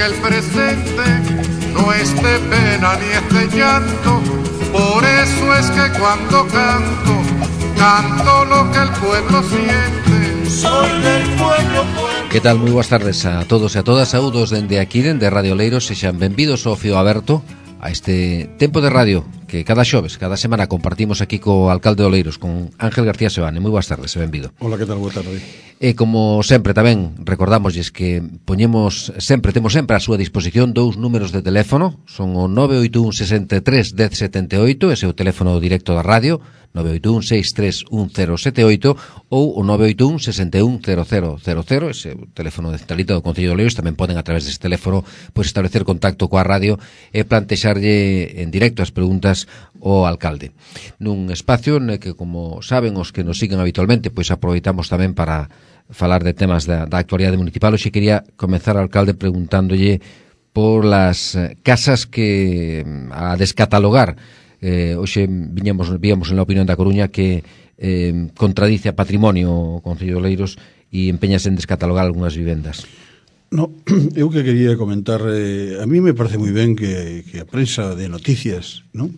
que el presente no es de pena ni es de llanto. Por eso es que cuando canto, canto lo que el pueblo siente. Soy del pueblo, pueblo. Que tal? Moi boas tardes a todos e a todas. Saúdos dende aquí, dende Radio Oleiros. Sexan benvidos ao Fío Aberto, a este tempo de radio que cada xoves, cada semana compartimos aquí co alcalde de Oleiros, con Ángel García Sebane. Moi boas tardes, e benvido. Hola, que tal? Boa tarde. E como sempre tamén recordamosles que temos sempre a súa disposición dous números de teléfono. Son o 981 63 1078, ese é o teléfono directo da radio, 981-631078, ou o 981 610000, ese é o teléfono de centralita do Concello de Oleiros. Tamén poden a través deste teléfono establecer contacto coa radio e plantexarlle en directo as preguntas ao alcalde. Nun espacio en que, como saben os que nos siguen habitualmente, aproveitamos tamén para falar de temas da actualidade municipal. Hoxe quería comenzar ao alcalde preguntándolle por las casas que a descatalogar. Hoxe víamos en la opinión da Coruña que contradice a patrimonio o Concello de Oleiros e empeñase en descatalogar algunhas vivendas. No, eu que quería comentar, a mí me parece moi ben que a prensa de noticias, non?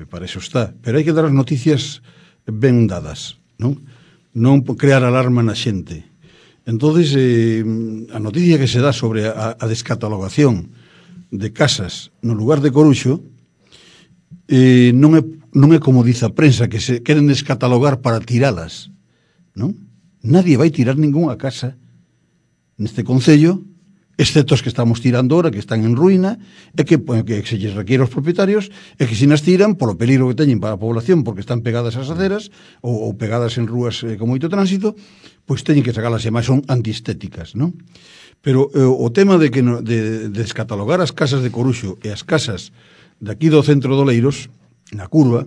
Para eso está, pero hai que dar as noticias ben dadas, non? Non crear alarma na xente. Entonces, a noticia que se dá sobre a descatalogación de casas no lugar de Coruxo non é como dice a prensa, que se queren descatalogar para tiralas, non? Nadie vai tirar ningunha casa neste concello, excepto os que estamos tirando ahora, que están en ruína, e que se lles requiere aos propietarios, e que se nas tiran polo peligro que teñen para a población, porque están pegadas ás aceras, ou pegadas en rúas con moito tránsito, pois teñen que sacalas, e máis son antiestéticas, non? Pero o tema de descatalogar as casas de Coruxo e as casas de aquí do centro de Oleiros, na curva,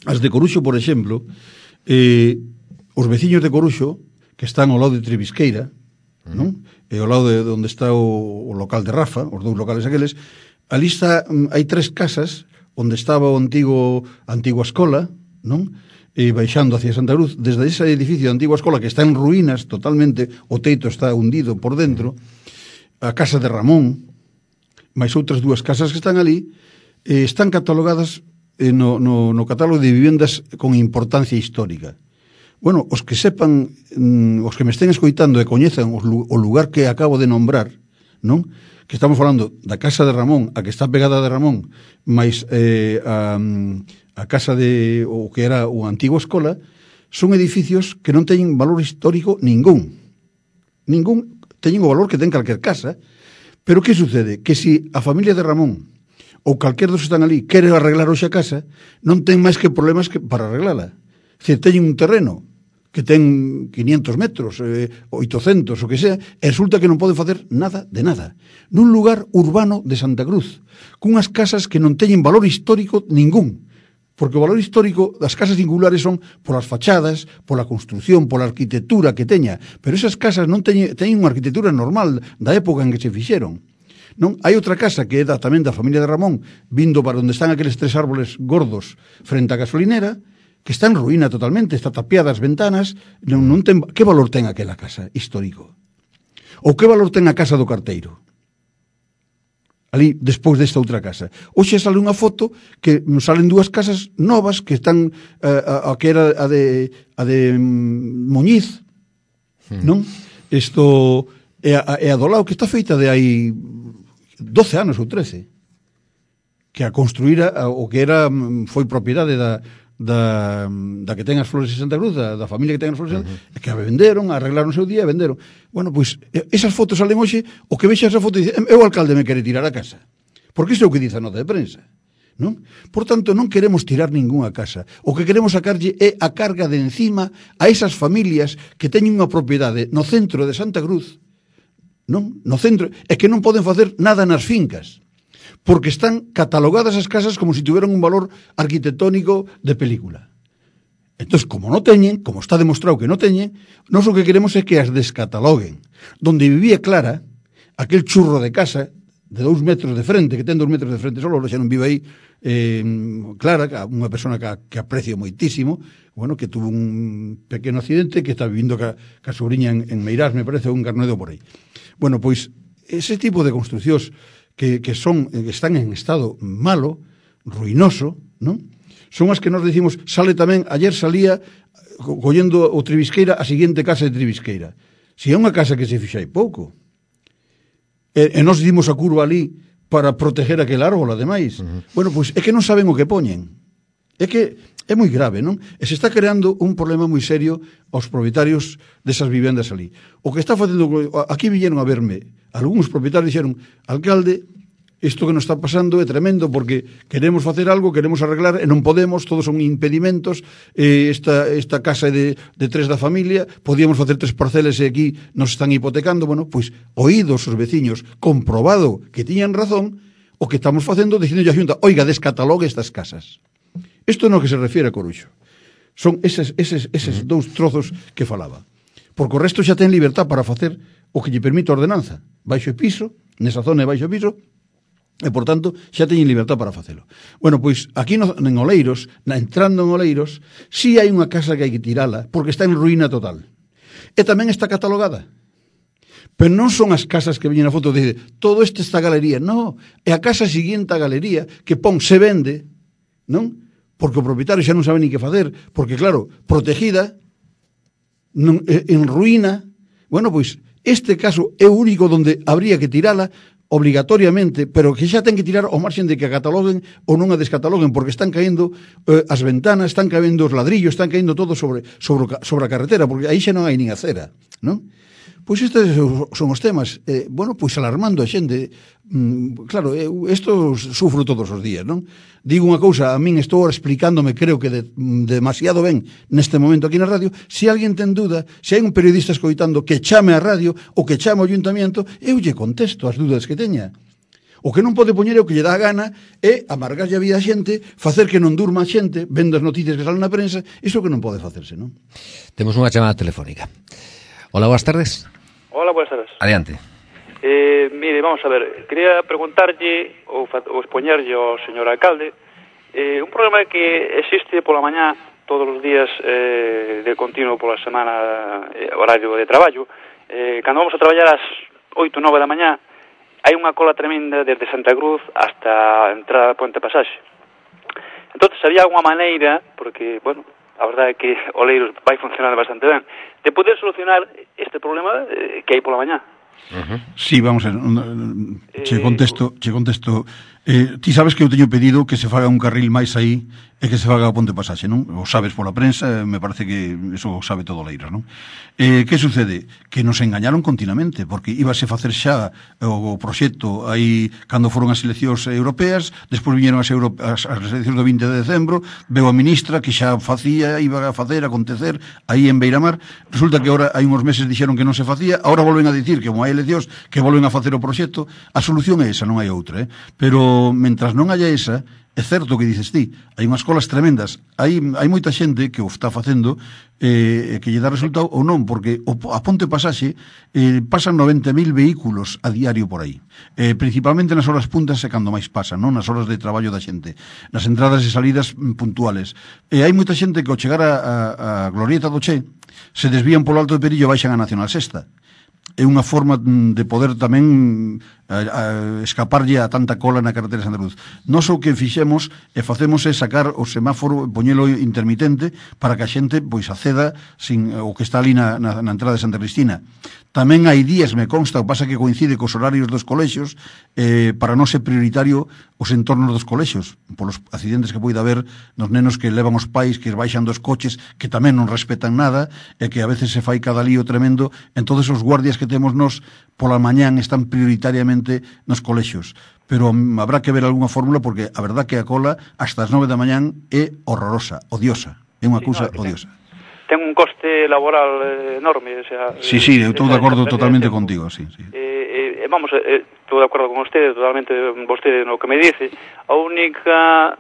as de Coruxo, por exemplo, os veciños de Coruxo, que están ao lado de Trebisqueira, non? E ao lado de onde está o local de Rafa, os dous locales aqueles, ali hai tres casas onde estaba a antigua escola, non? E baixando hacia Santa Cruz, desde ese edificio de antigua escola que está en ruínas totalmente, o teito está hundido por dentro, a casa de Ramón, máis outras dúas casas que están ali, están catalogadas no catálogo de vivendas con importancia histórica. Bueno, os que sepan, os que me estén escoitando e coñezan o lugar que acabo de nombrar, non? Que estamos falando da casa de Ramón, a que está pegada de Ramón, máis a casa de o que era a antigua escola, son edificios que non teñen valor histórico ningún, teñen o valor que ten calquer casa. Pero que sucede? Que si a familia de Ramón ou calquer dos que están ali quere arreglar hoxe a casa, non ten máis que problemas para arreglala. Se teñen un terreno que ten 500 metros, 800, o que sea, e resulta que non pode facer nada de nada. Nun lugar urbano de Santa Cruz, cunhas casas que non teñen valor histórico ningún. Porque o valor histórico das casas singulares son polas fachadas, pola construción, pola arquitectura que teña. Pero esas casas non teñen unha arquitectura normal da época en que se fixeron. Non? Hai outra casa que é tamén da familia de Ramón, vindo para onde están aqueles tres árboles gordos frente á gasolinera, que está en ruína totalmente, está tapiada as ventanas, non ten, que valor ten aquela casa histórico? Ou que valor ten a casa do carteiro? Ali, despois desta outra casa. Hoxe sale unha foto que salen dúas casas novas que están, a que era a de Muñiz, non? Isto é a do lado, que está feita de hai 12 anos ou 13, que a construíra o que era foi propiedade da que ten as flores de Santa Cruz, da familia que ten as flores de Santa Cruz, que a venderon, arreglaron o seu día e venderon. Bueno, pois, esas fotos salen hoxe, o que vexa esa foto dice, o alcalde me quere tirar a casa. Porque iso é o que dice a nota de prensa, non? Por tanto, non queremos tirar ningunha casa. O que queremos sacarlle é a carga de encima a esas familias que teñen unha propiedade no centro de Santa Cruz, non? No centro, é que non poden facer nada nas fincas, porque están catalogadas as casas como se tuveran un valor arquitectónico de película. Entón, como non teñen, como está demostrado que non teñen, nós o que queremos é que as descataloguen. Donde vivía Clara, aquel churro de casa de 2 metros de frente, que ten 2 metros de frente solo, xa non vive aí, Clara, unha persona que aprecio moitísimo, bueno, que tuvo un pequeno accidente, que está vivindo ca sobrinha en Meirás, me parece, un Carnedo por aí. Bueno, pois, ese tipo de construcións que están en estado malo, ruinoso, non? Son as que nos decimos, ayer salía collendo o Tribisqueira a seguinte casa de Tribisqueira. Si é unha casa que se fixa hai pouco. E nos dimos a curva ali para proteger aquel árbol, ademais. Bueno, pois é que non saben o que poñen. É que é moi grave, non? E se está creando un problema moi serio aos propietarios desas vivendas ali. O que está facendo... Aquí viñeron a verme. Algúns propietarios dixeron, alcalde, isto que nos está pasando é tremendo porque queremos facer algo, queremos arreglar e non podemos, todos son impedimentos, esta casa de 3 da familia, podíamos facer 3 parcelas e aquí nos están hipotecando. Bueno, pois oídos os veciños, comprobado que tiñan razón, o que estamos facendo dicindo a Xunta, oiga, descatalogue estas casas. Isto no que se refiere a Coruxo. Son eses 2 trozos que falaba. Porque o resto xa ten libertad para facer o que lle permite a ordenanza. Baixo e piso, nesa zona de baixo e piso, e, por tanto, xa teñen libertad para facelo. Bueno, pois, aquí en Oleiros, entrando en Oleiros, si hai unha casa que hai que tirala, porque está en ruína total. E tamén está catalogada. Pero non son as casas que veñen a foto de todo esta galería, non. É a casa seguinte á galería que pon se vende, non? Porque o propietario xa non sabe ni que facer, porque claro, protegida, en ruína. Bueno, pois, este caso é o único onde habría que tirala obligatoriamente, pero que xa ten que tirar ao marxen de que a cataloguen ou non a descataloguen, porque están caendo as ventanas, están caendo os ladrillos, están caendo todo sobre a carretera, porque aí xa non hai nin acera, non? Pois estes son os temas, bueno, pois alarmando a xente. Claro, isto sufro todos os días, non? Digo unha cousa, a min estou explicándome, creo que demasiado ben neste momento aquí na radio. Se alguén ten dúda, se hai un periodista escoitando que chame a radio ou que chame ao ayuntamiento, eu lle contesto as dúdas que teña. O que non pode poñer é o que lle dá a gana é amargarlle a vida a xente, facer que non durma a xente, vendo as noticias que salen na prensa. Iso que non pode facerse, non? Temos unha chamada telefónica. Hola, boas tardes. Hola, buenas tardes. Adiante. Mire, vamos a ver, quería preguntarlle ou expoñerlle ao señor alcalde un problema que existe pola mañá todos os días de continuo pola semana, horario de traballo. Cando vamos a traballar ás 8 ou 9 da mañá hai unha cola tremenda desde Santa Cruz hasta a entrada da Puente Pasaxe. Entón, había alguna maneira, porque, bueno, a verdade é que Oleiros vai funcionar bastante ben, de poder solucionar este problema que hai pola mañá. Sí, vamos a ver, che contesto. Ti sabes que eu teño pedido que se faga un carril máis aí e que se faga a Ponte Pasaxe, non? O sabes pola prensa, me parece que eso sabe todo Oleiros, non? Que sucede? Que nos engañaron continuamente, porque íbase facer xa o proxecto aí cando foron as eleccións europeas, despois viñeron as eleccións do 20 de decembro, veo a ministra que xa iba a facer, acontecer aí en Beiramar. Resulta que agora hai uns meses dixeron que non se facía, agora volven a dicir que como hai eleccións que volven a facer o proxecto. A solución é esa, non hai outra, pero mentras non haya esa, é certo que dices ti, hai unhas colas tremendas, hai moita xente que o está facendo que lle dá resultado ou non, porque a Ponte Pasaxe pasan 90.000 vehículos a diario por aí, principalmente nas horas puntas e cando máis pasan, non? Nas horas de traballo da xente, nas entradas e salidas puntuales. Hai moita xente que ao chegar a Glorieta do Che se desvían polo Alto de Perillo e baixan a Nacional Sexta. É unha forma de poder tamén escaparlle a tanta cola na carretera de Santa Cruz. Nós o que fixemos e facemos é sacar o semáforo, poñelo intermitente para que a xente pois acceda sin o que está ali na entrada de Santa Cristina. Tamén hai días, me consta, o pasa que coincide cos horarios dos colexios, para non ser prioritario os entornos dos colexios, polos accidentes que poida haber nos nenos que levan os pais, que baixan dos coches, que tamén non respetan nada, e que a veces se fai cada lío tremendo. Entonces os guardias que temos nós pola mañán están prioritariamente nos colexios. Pero habrá que ver algunha fórmula, porque a verdad que a cola hasta as 9 da mañán é horrorosa, odiosa, é unha cousa odiosa. Ten un coste laboral enorme, o sea... Sí, eu estou de acordo totalmente contigo, sí. Vamos, estou de acordo con vostede, totalmente vostede no que me dice. A única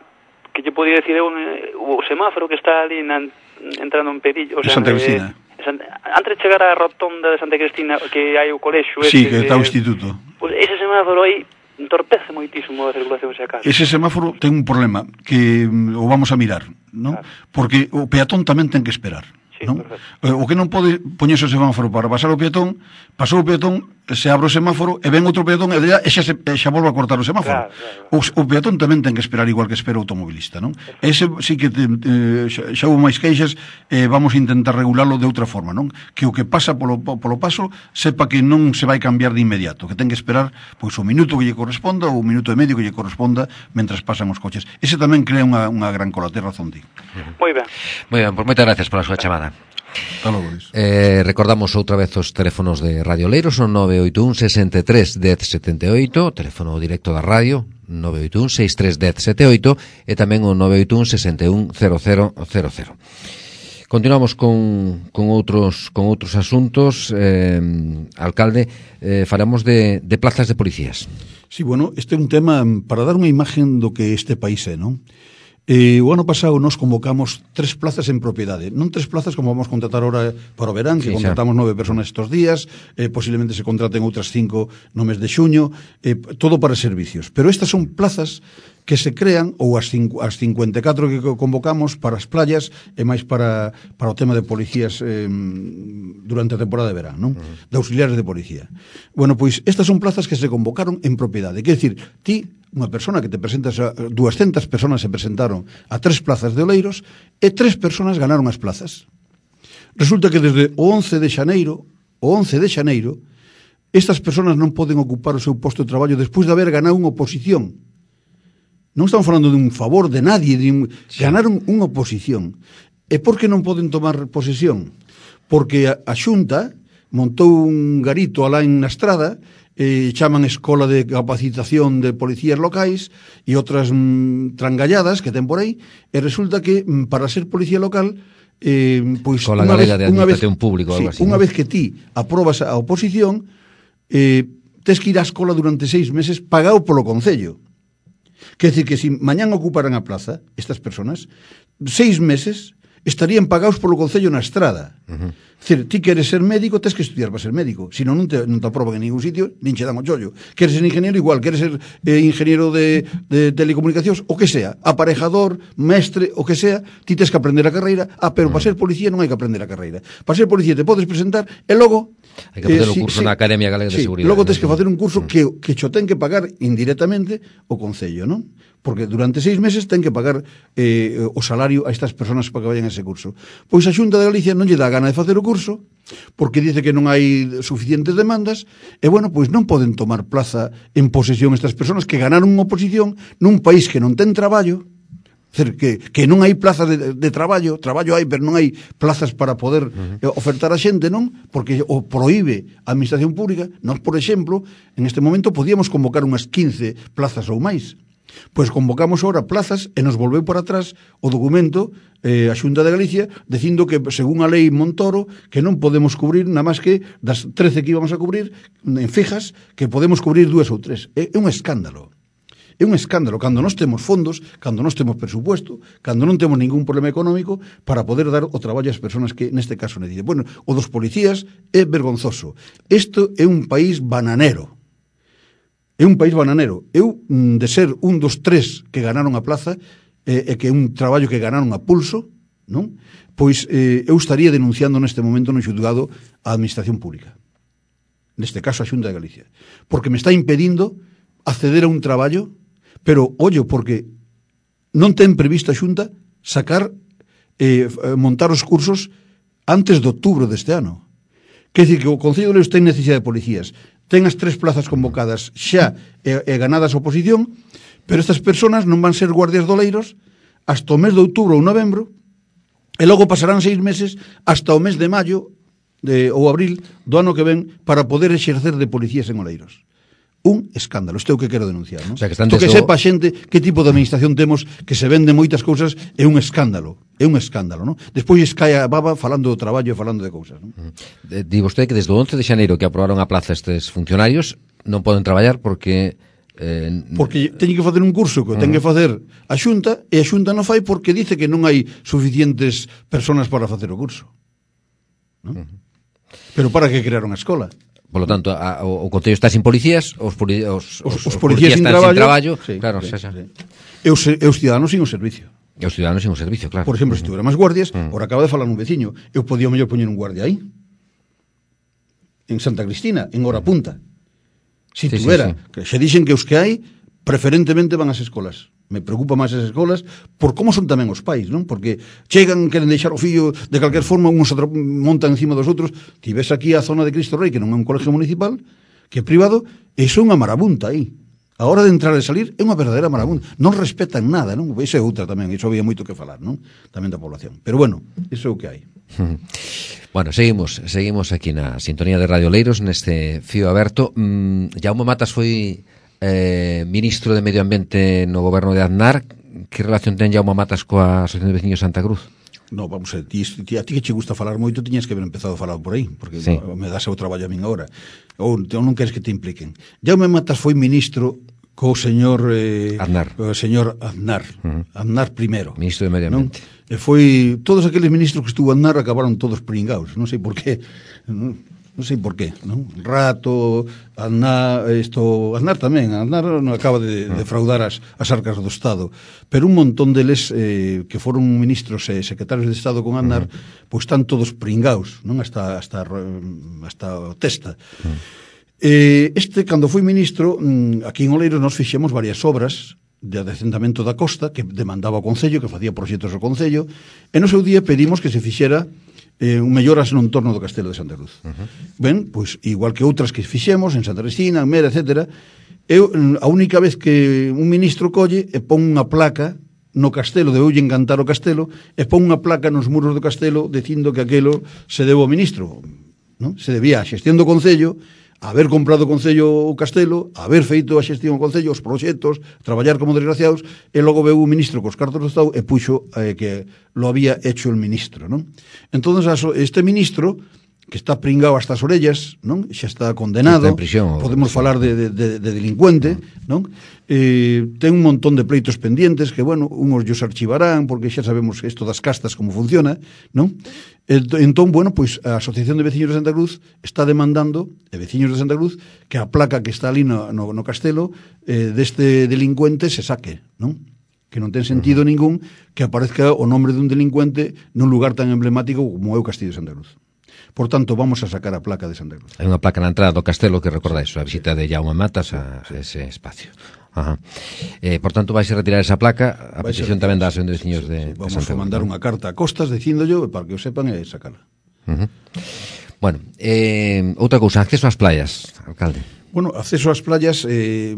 que lle podía decir é o semáforo que está ali entrando en Perillo, o sea, Santa Cristina. Antes de chegar á rotonda de Santa Cristina, que hai o colexio... Sí, que está o instituto. Pues ese semáforo aí entorpece moitísimo a circulación, se acaso. Ese semáforo ten un problema que o vamos a mirar, non? Claro. Porque o peatón tamén ten que esperar, sí, non? O que non pode poñerse o semáforo para pasar o peatón, pasou o peatón, se abre o semáforo e ven outro peatón e xa volve a cortar o semáforo. O peatón tamén ten que esperar igual que espera o automobilista, non? Ese sí que xa houve máis queixas, vamos a intentar regularlo de outra forma, non? Que o que pasa polo paso sepa que non se vai cambiar de inmediato, que ten que esperar pois o minuto que lle corresponda ou o minuto e medio que lle corresponda mentras pasan os coches. Ese tamén crea unha gran cola, ten razón, tío. Moi ben. Moi ben, pois moitas gracias pola súa chamada. Recordamos outra vez os teléfonos de Radio Oleiros, son 981 63 10 78, teléfono directo da radio 981 63 10 78 e tamén o 981 61 0000. Continuamos con outros asuntos. Alcalde, falamos de plazas de policías. Sí, bueno, este é un tema para dar unha imagen do que este país é, non? O ano pasado nos convocamos 3 plazas en propiedade, non 3 plazas como vamos contratar ahora para o verán, que sí, contratamos 9 personas estos días, posiblemente se contraten outras 5 no mes de xuño, todo para servicios. Pero estas son plazas que se crean, ou as 54 que convocamos para as playas e máis para o tema de policías durante a temporada de verán, non? De auxiliares de policía. Bueno, pois estas son plazas que se convocaron en propiedade. Quer dicir, ti, unha persona que te presentas, 200 personas se presentaron a 3 plazas de Oleiros e 3 personas ganaron as plazas. Resulta que desde o 11 de xaneiro, estas personas non poden ocupar o seu posto de traballo despois de haber ganado unha oposición. Non estamos falando de un favor de nadie, ganaron unha oposición. E por que non poden tomar posesión? Porque a Xunta montou un garito alá na estrada, chaman Escola de Capacitación de Policías Locais e outras trangalladas que ten por aí, e resulta que para ser policía local pois unha vez que ti aprobas a oposición, tes que ir á escola durante 6 meses pagado polo Concello. Quer dizer que se mañán ocuparan a plaza estas personas, 6 meses estarían pagados polo Concello na estrada. Decir, ti queres ser médico, tes que estudiar para ser médico, senón non te aproban en ningún sitio, nin che dan o chollo. Queres ser ingeniero igual, queres ser ingeniero de telecomunicacións, o que sea, aparejador, mestre, o que sea, ti tes que aprender a carreira, pero para ser policía non hai que aprender a carreira. Para ser policía te podes presentar e logo hai que facer o curso na Academia Galega de Seguridade. Logo tes que facer un curso que cho ten que pagar indirectamente o Concello, non? Porque durante 6 meses ten que pagar o salario a estas personas para que vayan a ese curso. Pois a Xunta de Galicia non lle dá gana de facer o curso, porque dice que non hai suficientes demandas, e bueno, pois non poden tomar plaza en posesión estas personas que ganaron unha oposición nun país que non ten traballo, que non hai plazas de traballo hai, pero non hai plazas para poder ofertar a xente, non? Porque o proíbe a administración pública. Nós, por exemplo, en este momento podíamos convocar unhas 15 plazas ou máis. Pois convocamos ahora plazas e nos volveu para atrás o documento a Xunta de Galicia dicindo que, según a lei Montoro, que non podemos cubrir nada máis que das 13 que íbamos a cubrir en fijas, que podemos cubrir 2 ou 3. É un escándalo. É un escándalo cando nós temos fondos, cando nós temos presupuesto, cando non temos ningún problema económico para poder dar o traballo ás persoas que neste caso necesitan. Bueno, o dos policías é vergonzoso. Isto é un país bananero. É un país bananero. Eu, de ser un dos 3 que ganaron a plaza, e que é un traballo que ganaron a pulso, non? Pois eu estaría denunciando neste momento no xulgado a administración pública. Neste caso a Xunta de Galicia. Porque me está impedindo acceder a un traballo, pero, ollo, porque non ten previsto a Xunta sacar, montar os cursos antes de outubro deste ano. Quer dizer que o Concello de Oleiros ten necesidade de policías, ten as 3 plazas convocadas xa e ganadas a oposición, pero estas persoas non van ser guardias de Oleiros hasta o mes de outubro ou novembro, e logo pasarán 6 meses hasta o mes de maio ou abril do ano que ven para poder exercer de policías en Oleiros. Un escándalo, isto é o que quero denunciar, non? O sea, que que sepa a xente que tipo de administración temos, que se vende moitas cousas, é un escándalo, non? Despois cae a baba falando do traballo e falando de cousas, non? Di vostede que desde o 11 de xaneiro que aprobaron a plaza estes funcionarios non poden traballar porque porque teñen que facer un curso que ten que facer a Xunta, e a Xunta non fai porque dice que non hai suficientes personas para facer o curso, non? Pero para que crearon a escola? Por lo tanto, o Concello está sin policías, os policías están sin traballo, sí, claro, sí, xa. Sí. E os ciudadanos sin o servicio. E os ciudadanos sin o servicio, claro. Por exemplo, se tuviera máis guardias, ahora acaba de falar un veciño, eu podía mellor poñer un guardia aí. en Santa Cristina, en hora punta. Si Sí, tuvera, sí. que xe dixen que os que hai preferentemente van ás escolas. Me preocupa máis as escolas por como son tamén os pais, non? Porque chegan, queren deixar o fillo de calquer forma, uns montan encima dos outros. Ti ves aquí a zona de Cristo Rei, que non é un colegio municipal, que é privado, e iso é unha marabunta aí. A hora de entrar e salir é unha verdadeira marabunta. Non respetan nada, non? Iso é outra tamén, iso había moito que falar, non? Tamén da población. Pero bueno, iso é o que hai. Bueno, seguimos aquí na sintonía de Radio Oleiros neste fío aberto. Jaume Matas foi ministro de Medio Ambiente no goberno de Aznar. Que relación ten Jaume Matas coa Asociación de Veciños Santa Cruz? No, vamos a ti que che gusta falar moito, tiñas que haber empezado a falar por aí, porque sí. Me das o traballo a min agora. Ou non queres que te impliquen. Jaume Matas foi ministro co señor Aznar. O señor Aznar. Aznar primero. Ministro de Medio Ambiente. E foi todos aqueles ministros que estuvo Aznar acabaron todos pringados, non sei por qué. Non sei por qué, non? Rato, Aznar tamén, Aznar non acaba de defraudar as arcas do Estado, pero un montón deles que foron ministros e secretarios de Estado con Aznar, pois están todos pringados, non? Hasta a testa. Cando foi ministro, aquí en Oleiros nos fixemos varias obras de adecentamento da costa que demandaba o Concello, que facía proxectos ao Concello, e no seu día pedimos que se fixera melloras no entorno do Castelo de Santa Cruz. Ben, pois igual que outras que fixemos en Santa Cristina, en Mera, etc. A única vez que un ministro colle e pon unha placa no castelo, debeulle encantar o castelo, e pon unha placa nos muros do castelo dicindo que aquelo se debe ao ministro, non? Se debía a xestión do Concello, haber comprado o Concello o castelo, haber feito a xestión do Concello, os proxectos, traballar como desgraciados, e logo veu o ministro cos cartos do Estado e puxo que lo había hecho el ministro, non? Entón, este ministro, que está pringado hasta as orellas, non? Xa está condenado, está en prisión, podemos falar de delincuente, non? Ten un montón de pleitos pendientes que, bueno, unhos os archivarán porque xa sabemos isto das castas como funciona, non? Entón, bueno, pois a Asociación de Veciños de Santa Cruz está demandando, veciños de Santa Cruz, que a placa que está ali no castelo deste delincuente se saque, non? Que non ten sentido ningún que aparezca o nombre dun delincuente nun lugar tan emblemático como é o Castillo de Santa Cruz. Por tanto, vamos a sacar a placa de Santa Cruz. Hai unha placa na entrada do castelo que recorda iso, a visita de Jaume Matas a ese espacio. Ajá. Por tanto, vais a retirar esa placa, a petición tamén da Asociación de Veciños de Santa Cruz. Vamos a mandar unha carta a Costas dicíndollo para que o sepan e sacala. Bueno, outra cousa, acceso ás playas, alcalde. Bueno, acceso ás playas é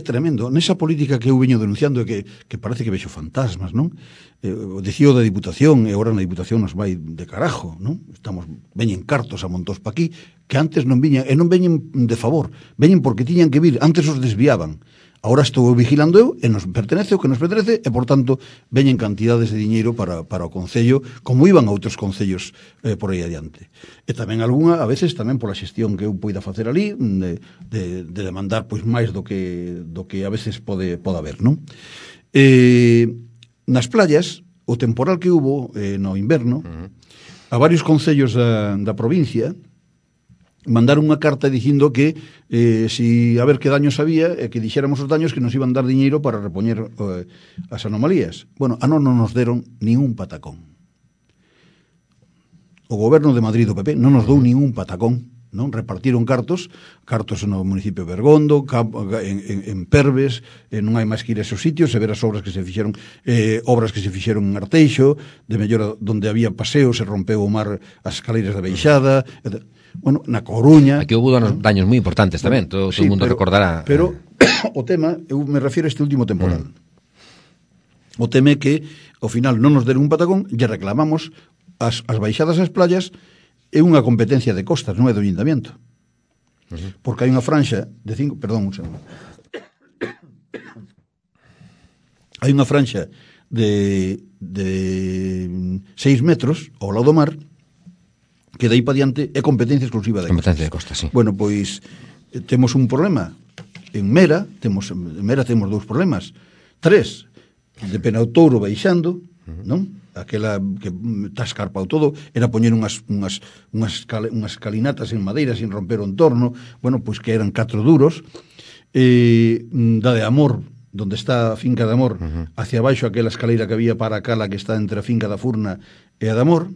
tremendo. Nesa política que eu veño denunciando que parece que vexo fantasmas, non? O dicío da Diputación, e agora na Diputación nos vai de carajo, non? Veñen cartos a montós pa aquí, que antes non viñan, e non veñen de favor, veñen porque tiñan que vir, antes os desviaban. Ahora estou vigilando eu, e nos pertenece o que nos pertenece, e por tanto veñen cantidades de diñeiro para o Concello, como iban a outros concellos por aí adiante. E tamén algunha, a veces, tamén pola xestión que eu poida facer ali, de demandar pois máis do que a veces pode haber, non? Nas playas, o temporal que hubo no inverno, a varios concellos da provincia mandaron unha carta dicindo que a ver que daños había e que dixéramos os daños que nos iban dar diñeiro para repoñer as anomalías. Bueno, non nos deron nin un patacón. O goberno de Madrid do PP non nos dou nin un patacón, non? Repartiron cartos no municipio de Bergondo, en Perves, non hai máis que ir a esos sitios e ver as obras que se fixeron, en Arteixo, de mellora onde había paseo, se rompeu o mar as escaleiras da Beixada, bueno, na Coruña. Aquí houve daños moi importantes tamén, todo o mundo recordará. Pero o tema, eu me refiro a este último temporal. O tema é que, ao final, non nos deron un patacón, lle reclamamos as baixadas ás playas. É unha competencia de Costas, non é do Ayuntamiento. Porque hai unha franxa de 5... Perdón, un segundo. Hai unha franxa de 6 metros ao lado do mar que dai para diante é competencia exclusiva de Costas. Competencia de Costas, sí. Bueno, pois temos un problema. En Mera temos 2 problemas. 3, de Penautouro baixando, non? Aquela que está escarpado todo, era poñer unhas escalinatas en madeira sin romper o entorno, bueno, pois que eran 4 duros, da de Amor, donde está a finca de Amor, hacia abaixo aquela escaleira que había para a cala que está entre a finca da Furna e a de Amor,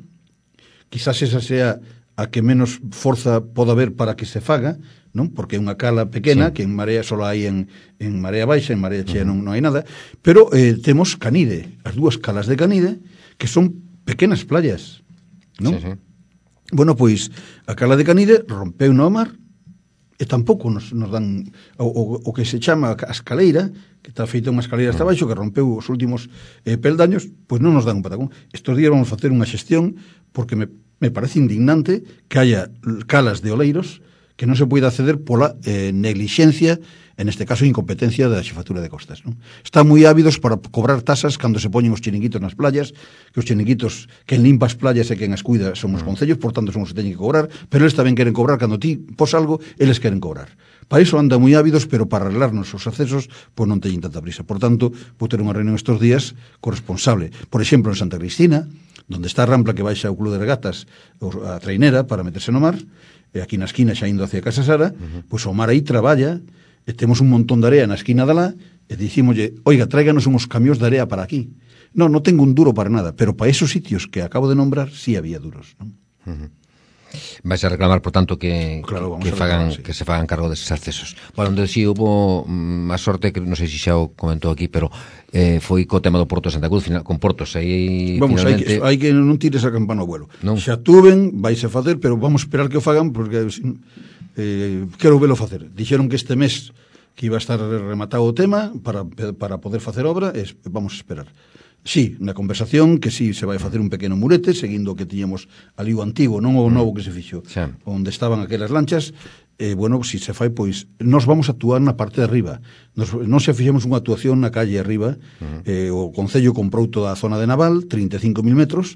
quizás esa sea a que menos forza poda haber para que se faga, non? Porque é unha cala pequena, que en marea só hai en marea baixa, en marea chea non hai nada, pero temos Canide, as dúas calas de Canide, que son pequenas playas, non? Sí, sí. Bueno, pois, a cala de Canide rompeu no mar, e tampouco nos dan o que se chama a escaleira, que está feita unha escaleira hasta baixo, que rompeu os últimos peldaños, pois non nos dan un patacón. Estos días vamos facer unha xestión, porque me parece indignante que haya calas de oleiros que non se poida acceder pola neglixencia, en este caso incompetencia da xefatura de costas, non? Están moi ávidos para cobrar tasas cando se poñen os chiringuitos nas playas, que os chiringuitos, quen limpa as playas e quen as cuida son os concellos, por tanto son os que teñen que cobrar, pero eles tamén queren cobrar cando ti pos algo, eles queren cobrar. Para iso andan moi ávidos, pero para arreglarnos os accesos, pois non teñen tanta prisa. Por tanto, vou ter unha reunión estes días corresponsable. Por exemplo, en Santa Cristina, donde está a rampla que baixa o Club de Regatas, a trainera, para meterse no mar, e aquí na esquina xa indo hacia Casa Sara, pois o mar aí traballa, e temos un montón de area na esquina de lá, e dicímoslle, oiga, tráiganos uns camións de area para aquí. Non tengo un duro para nada, pero para esos sitios que acabo de nombrar, sí había duros, non? Vais a reclamar, por tanto, que se fagan cargo deses accesos. Bueno, onde si hubo a sorte, que non sei se xa o comentou aquí, pero foi co tema do Porto de Santa Cruz, con Portos, aí vamos, finalmente... hai que non tires a campana ao vuelo. Non. Xa tuven, vais a facer, pero vamos a esperar que o fagan, porque quero velo facer. Dixeron que este mes que iba a estar rematado o tema para poder facer obra, vamos a esperar. Sí, na conversación que sí se vai facer un pequeno murete, seguindo o que tiñamos ali o antigo, non o novo que se fixo, onde estaban aquelas lanchas. Bueno, si se fai, pois nos vamos a actuar na parte de arriba. Non se fixemos unha actuación na calle arriba. O Concello comprou toda a zona de Naval, 35.000 metros,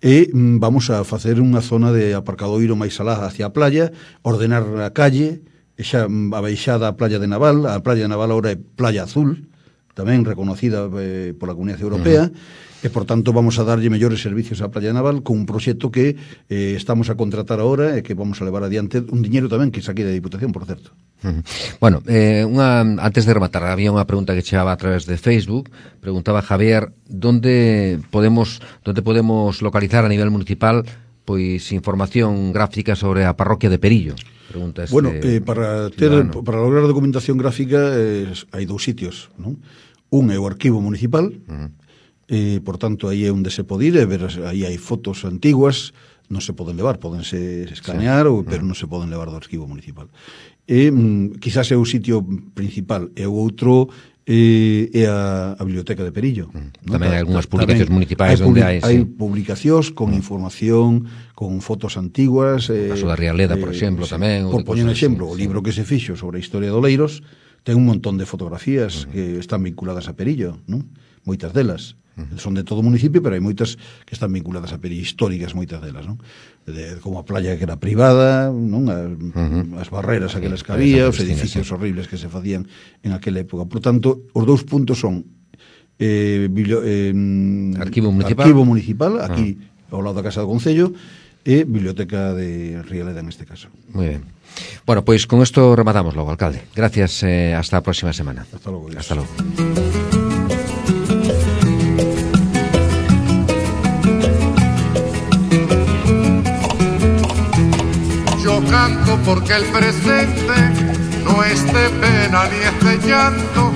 e vamos a facer unha zona de aparcadoiro máis alá hacia a playa, ordenar a calle, xa a baixada a playa de Naval. A playa de Naval agora é Playa Azul, tamén reconocida pola Comunidade Europea, e, por tanto, vamos a darlle mellores servicios á Playa Naval con un proxecto que estamos a contratar agora e que vamos a levar adiante, un diñeiro tamén que saque da Diputación, por certo. Bueno, antes de rematar, había unha pregunta que chegaba a través de Facebook. Preguntaba Javier, ¿dónde podemos localizar a nivel municipal pois información gráfica sobre a parroquia de Perillo? Pregunta bueno, para lograr documentación gráfica hai dous sitios, non? Un é o arquivo municipal, por tanto aí é onde se pode ir e ver, aí hai fotos antiguas, non se poden levar, podense escanear, pero non se poden levar do arquivo municipal. E quizás é o sitio principal, e o outro é a Biblioteca de Perillo. Tamén hai algunhas publicacións municipais onde hai publicacións con información, con fotos antiguas, o caso da Rialeda, por exemplo, tamén. Por poñer un exemplo, o libro que se fixo sobre a historia de Oleiros ten un montón de fotografías que están vinculadas a Perillo, non? Moitas delas son de todo o municipio, pero hai moitas que están vinculadas a Perillo, históricas moitas delas, non? Como a playa que era privada, non? As barreras aquelas que había, os edificios horribles que se facían en aquela época. Por tanto, os dous puntos son arquivo municipal, aquí ao lado da Casa do Concello, e Biblioteca de Rialeda, en este caso. Moi ben. Bueno, pois con isto rematamos logo, alcalde. Gracias, hasta a próxima semana. Hasta logo. Hasta logo. Yo canto porque el presente no es de pena ni es de llanto,